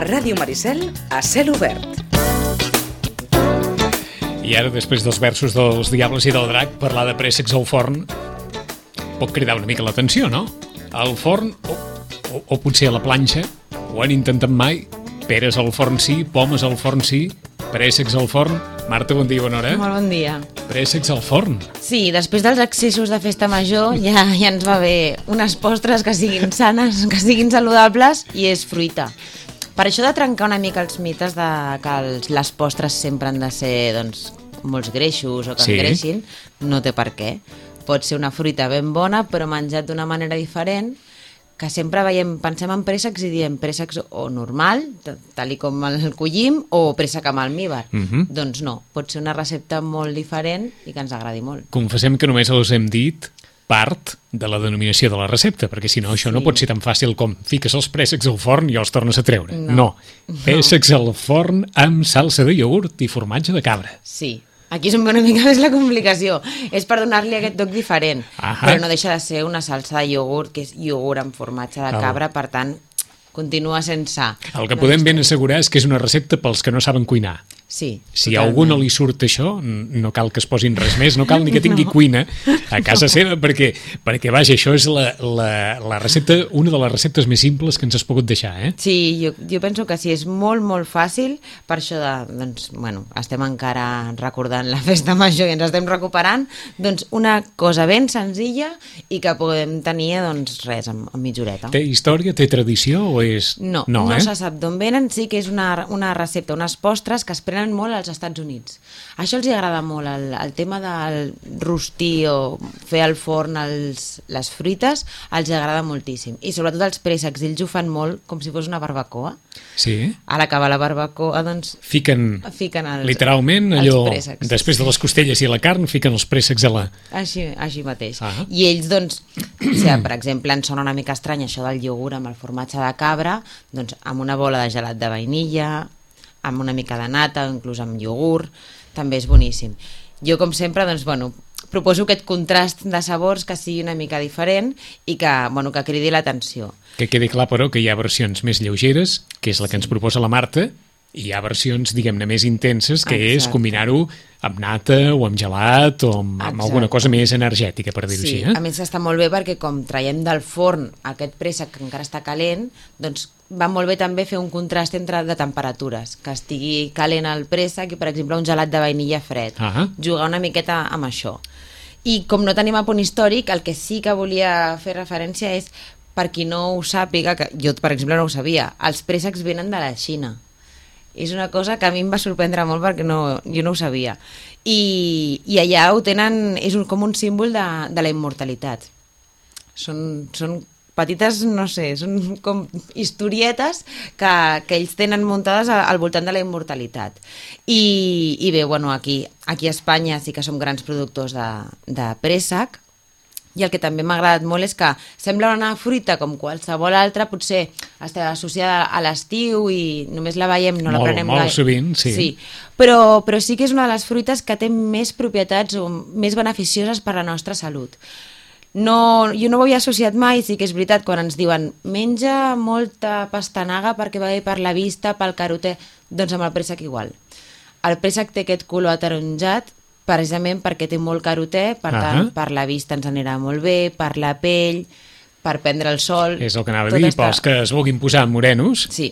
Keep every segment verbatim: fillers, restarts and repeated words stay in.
Ràdio Maricel a cel obert. I ara, després dels versos dels Diables i del Drac, parlar de préssecs al forn pot cridar una mica l'atenció, no? Al forn, o, o, o potser a la planxa, ho han intentat mai. Peres al forn sí, pomes al forn sí, préssecs al forn. Marta, bon dia, bona hora. Molt bon dia. Préssecs al forn. Sí, després dels excessos de festa major ja, ja ens va bé unes postres que siguin sanes, que siguin saludables, i és fruita. Per això de trencar una mica els mites de que els, les postres sempre han de ser doncs, molts greixos o que Sí. engreixin, no té per què. Pot ser una fruita ben bona però menjat d'una manera diferent, que sempre veiem, pensem en préssecs i diem préssecs o normal, tal i com el collim, o préssec amb almívar. Mhm. Doncs no, pot ser una recepta molt diferent i que ens agradi molt. Confessem que només us hem dit part de la denominació de la recepta, perquè si no això no Sí. pot ser tan fàcil com fiques els préssecs al forn i els tornes a treure. No. No. Préssecs al forn amb salsa de iogurt i formatge de cabra. Sí, aquí és on ve una mica més la complicació. És per donar-li aquest toc diferent, Ahà. però no deixa de ser una salsa de iogurt, que és iogurt amb formatge de Oh. cabra, per tant, continua sense... El que podem ben assegurar és que és una recepta pels que no saben cuinar. Sí, Si a algú no li surt això, n- no cal que es posin res més, no cal ni que tingui No. cuina a casa seva, perquè, perquè vaja, això és la, la, la recepta, una de les receptes més simples que ens has pogut deixar, eh? Sí, jo, jo penso que sí, és molt, molt fàcil, per això de, doncs, bueno, estem encara recordant la festa major i ens estem recuperant, doncs una cosa ben senzilla i que podem tenir, doncs, res, en, en mitja horeta. Té història, té tradició o és... No, no, no no eh? se sap d'on venen, sí que és una, una recepta, unes postres que es prenen molt als Estats Units. Això els hi agrada molt, el, el tema del rostir o fer al forn els, les fruites, els hi agrada moltíssim. I sobretot els préssecs, ells ho fan molt com si fos una barbacoa. Sí? A l'acabar la barbacoa, doncs, Fiquen, fiquen els, literalment, els allò, préssecs. després de les costelles i la carn, fiquen els préssecs a la... Així, així mateix. Ah. I ells, doncs, si, per exemple, ens sona una mica estrany això del iogurt amb el formatge de cabra, doncs amb una bola de gelat de vainilla, amb una mica de nata, o inclús amb iogurt, també és boníssim. Jo, com sempre, doncs, bueno, proposo aquest contrast de sabors que sigui una mica diferent i que, bueno, que cridi l'atenció. Que quedi clar, però, que hi ha versions més lleugeres, que és la que ens proposa la Marta, i hi ha versions, diguem-ne, més intenses, que és Exacte. combinar-ho amb nata o amb gelat o amb, amb Exacte. alguna cosa més energètica, per dir-ho Sí, així. Eh? a més està molt bé perquè com traiem del forn aquest préssec que encara està calent, doncs va molt bé també fer un contrast entre de temperatures, que estigui calent el préssec i, per exemple, un gelat de vainilla fred. Ah. Jugar una miqueta amb això. I com no tenim a punt històric, el que sí que volia fer referència és, per qui no ho sàpiga, que jo, per exemple, no ho sabia, els préssecs venen de la Xina. És una cosa que a mi em va sorprendre molt perquè no, jo no ho sabia. I, i allà ho tenen, és un, com un símbol de, de la immortalitat. Són, són petites, no sé, són com historietes que, que ells tenen muntades al, al voltant de la immortalitat. I, i bé, bueno, aquí, aquí a Espanya sí que som grans productors de, de préssec, i el que també m'ha agradat molt és que sembla una fruita com qualsevol altra, potser està associada a l'estiu i només la veiem, no la Molt, prenem molt gaire. sovint, sí. sí. Però, però sí que és una de les fruites que té més propietats o més beneficioses per a la nostra salut. No, jo no ho havia associat mai, sí que és veritat, quan ens diuen menja molta pastanaga perquè va bé per la vista, pel carotè, doncs amb el préssec igual. El préssec té aquest color ataronjat precisament perquè té molt carotè, per Ahà. tant, per la vista ens anirà molt bé, per la pell, per prendre el sol... És el que anava a tot dir, està- pels que es vulguin posar morenos. Sí,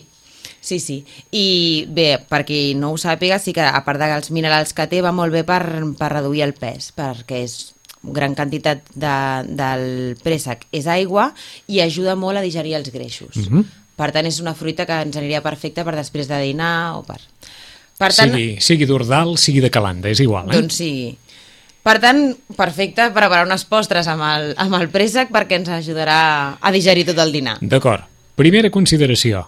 sí, sí. I bé, per qui no ho sàpiga, sí que a part dels minerals que té, va molt bé per, per reduir el pes, perquè és gran quantitat de, del préssec és aigua i ajuda molt a digerir els greixos. Mhm. Per tant, és una fruita que ens aniria perfecta per després de dinar o per... Per tant, Sigui, sigui d'Ordal, sigui de Calanda, és igual, eh? doncs sí. Per tant, perfecte preparar unes postres amb el, amb el préssec perquè ens ajudarà a digerir tot el dinar. D'acord. Primera consideració.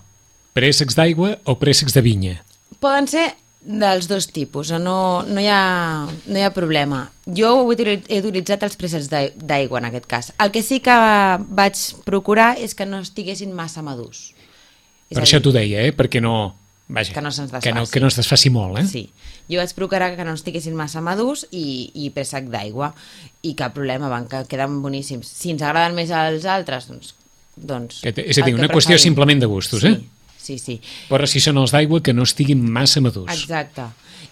Préssecs d'aigua o préssecs de vinya? Poden ser dels dos tipus, no, no, hi, ha, no hi ha problema. Jo he utili- he utilitzat els préssecs d'ai- d'aigua en aquest cas. El que sí que vaig procurar és que no estiguessin massa madurs. És Per a això dir, t'ho deia, eh? Perquè no... Vaja, Que no se'ns que no, desfaci. que no es desfaci molt, eh? Sí, jo vaig procurar que no estiguessin massa madurs i, i préssec d'aigua, i cap problema, van, que queden boníssims. Si ens agraden més els altres, doncs... doncs Que té- és a dir, el que una qüestió preferim. simplement de gustos, sí. eh? sí, sí. Però si són els d'aigua, que no estiguin massa madurs. Exacte.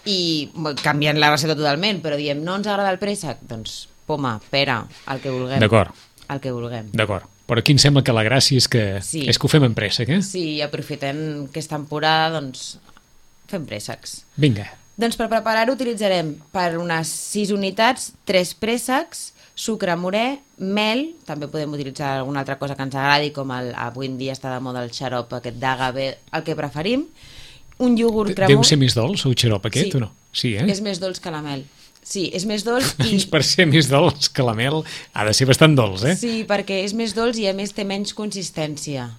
I canviant la recepta totalment, però diem, no ens agrada el préssec? Doncs poma, pera, el que vulguem. D'acord. El que vulguem. D'acord. Però aquí em sembla que la gràcia és que, sí. és que ho fem en préssec, eh? Sí, aprofitem que és temporada, doncs fem préssecs. Vinga. Doncs per preparar-ho utilitzarem per unes sis unitats, tres préssecs, sucre morè, mel, també podem utilitzar alguna altra cosa que ens agradi, com el, avui en dia està de moda el xarop aquest d'agave, el que preferim, un iogurt cremós... Deu ser més dolç, el xarop aquest, sí. o no? Sí, eh? És més dolç que la mel. Sí, és més dolç i... Doncs per ser més dolç que la mel ha de ser bastant dolç, eh? Sí, perquè és més dolç i a més té menys consistència.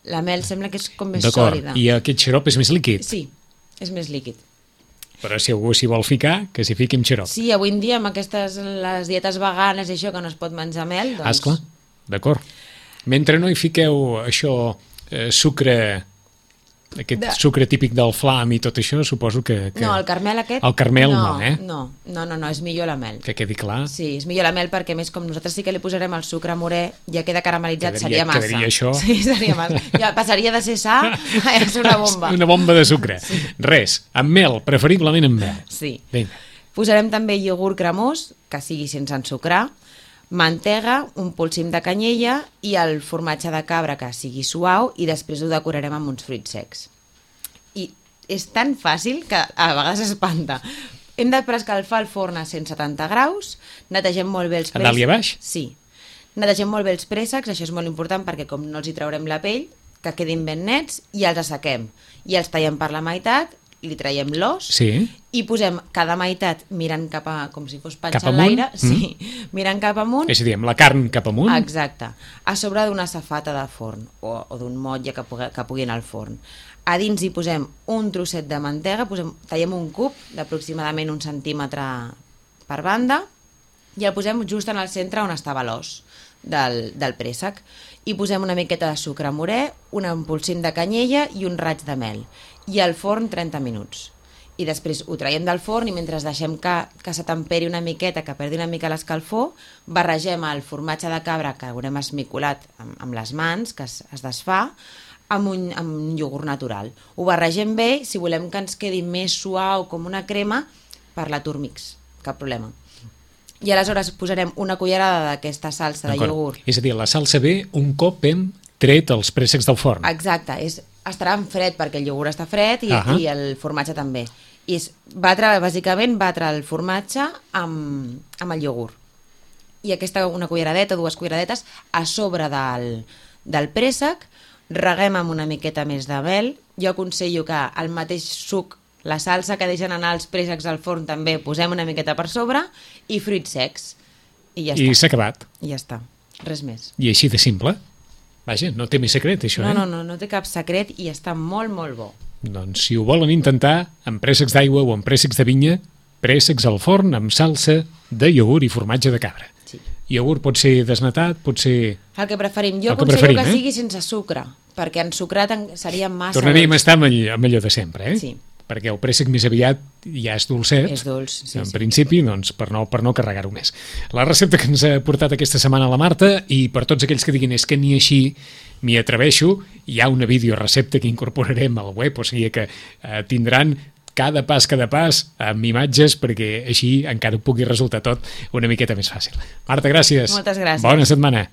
La mel sembla que és com més D'acord, sòlida. i aquest xarop és més líquid? Sí, és més líquid. Però si algú s'hi vol ficar, que s'hi fiqui amb xarop. Sí, avui en dia amb aquestes les dietes veganes i això que no es pot menjar mel, doncs... Ah, esclar, d'acord. Mentre no hi fiqueu això, eh, sucre, aquest de... sucre típic del flam i tot això, suposo que... que... No, el carmel aquest... El carmel no, no, eh? No, no, no, no, és millor la mel. Que quedi clar. Sí, és millor la mel perquè, més, com nosaltres sí que li posarem el sucre morè, ja queda caramelitzat, Quedaria, seria massa. Quedaria això... Sí, seria massa. Ja passaria de ser sa a ser una bomba. Una bomba de sucre. Sí. Res, amb mel, preferiblement amb mel. Sí. Vinga. Posarem també iogurt cremós, que sigui sense ensucrar, mantega, un polsim de canyella i el formatge de cabra que sigui suau, i després ho decorarem amb uns fruits secs. I és tan fàcil que a vegades espanta. Hem de preescalfar el forn a cent setanta graus, netegem molt bé els préssecs. A dalt i a baix? Sí. Netegem molt bé els préssecs, això és molt important perquè com no els hi traurem la pell, que quedin ben nets, i els assequem. I els tallem per la meitat, li traiem l'os, sí. i posem cada meitat mirant cap a... com si fos Cap penjant amunt? l'aire, Mm. sí, mirant cap amunt. És a dir, amb la carn cap amunt? Exacte. A sobre d'una safata de forn o, o d'un motlle que pugui, que pugui anar al forn. A dins hi posem un trosset de mantega, posem, tallem un cub d'aproximadament un centímetre per banda i el posem just en el centre on estava l'os del, del préssec. I posem una miqueta de sucre morè, un empolsim de canyella i un raig de mel. I al forn trenta minuts. I després ho traiem del forn i mentre deixem que, que se temperi una miqueta, que perdi una mica l'escalfor, barregem el formatge de cabra que haurem esmicolat amb, amb les mans, que es, es desfà, amb un, amb un iogurt natural. Ho barregem bé, si volem que ens quedi més suau com una crema, per la Turmix, cap problema. I aleshores posarem una cullerada d'aquesta salsa de iogurt. És a dir, la salsa ve un cop hem tret els préssecs del forn. Exacte, és, estarà en fred perquè el iogurt està fred i, uh-huh. i el formatge també. I és batre, bàsicament, batre el formatge amb, amb el iogurt. I aquesta, una culleradeta, dues culleradetes, a sobre del, del préssec, reguem amb una miqueta més de mel. Jo aconsello que el mateix suc, la salsa que deixen anar els préssecs al forn també posem una miqueta per sobre i fruits secs. I ja I està. s'ha acabat. I ja està. Res més. I així de simple. Vaja, no té més secret, això, no, eh? No, no, no té cap secret i està molt, molt bo. Doncs si ho volen intentar, amb préssecs d'aigua o amb préssecs de vinya, préssecs al forn amb salsa de iogurt i formatge de cabra. Sí. Iogurt pot ser desnatat, pot ser... El que preferim. Jo El que aconsello preferim, que eh? sigui sense sucre, perquè ensucrat en- seria massa Tornaríem a dolç. estar amb, all- amb allò de sempre, eh? Sí. Perquè el préssec més aviat ja és dolcet. És dolç, sí, en sí. principi, doncs, per no, per no carregar-ho més. La recepta que ens ha portat aquesta setmana la Marta, i per tots aquells que diguin és que ni així m'hi atreveixo, hi ha una videorecepta que incorporarem al web, o sigui que eh, tindran cada pas, cada pas, amb imatges, perquè així encara pugui resultar tot una miqueta més fàcil. Marta, gràcies. Moltes gràcies. Bona setmana.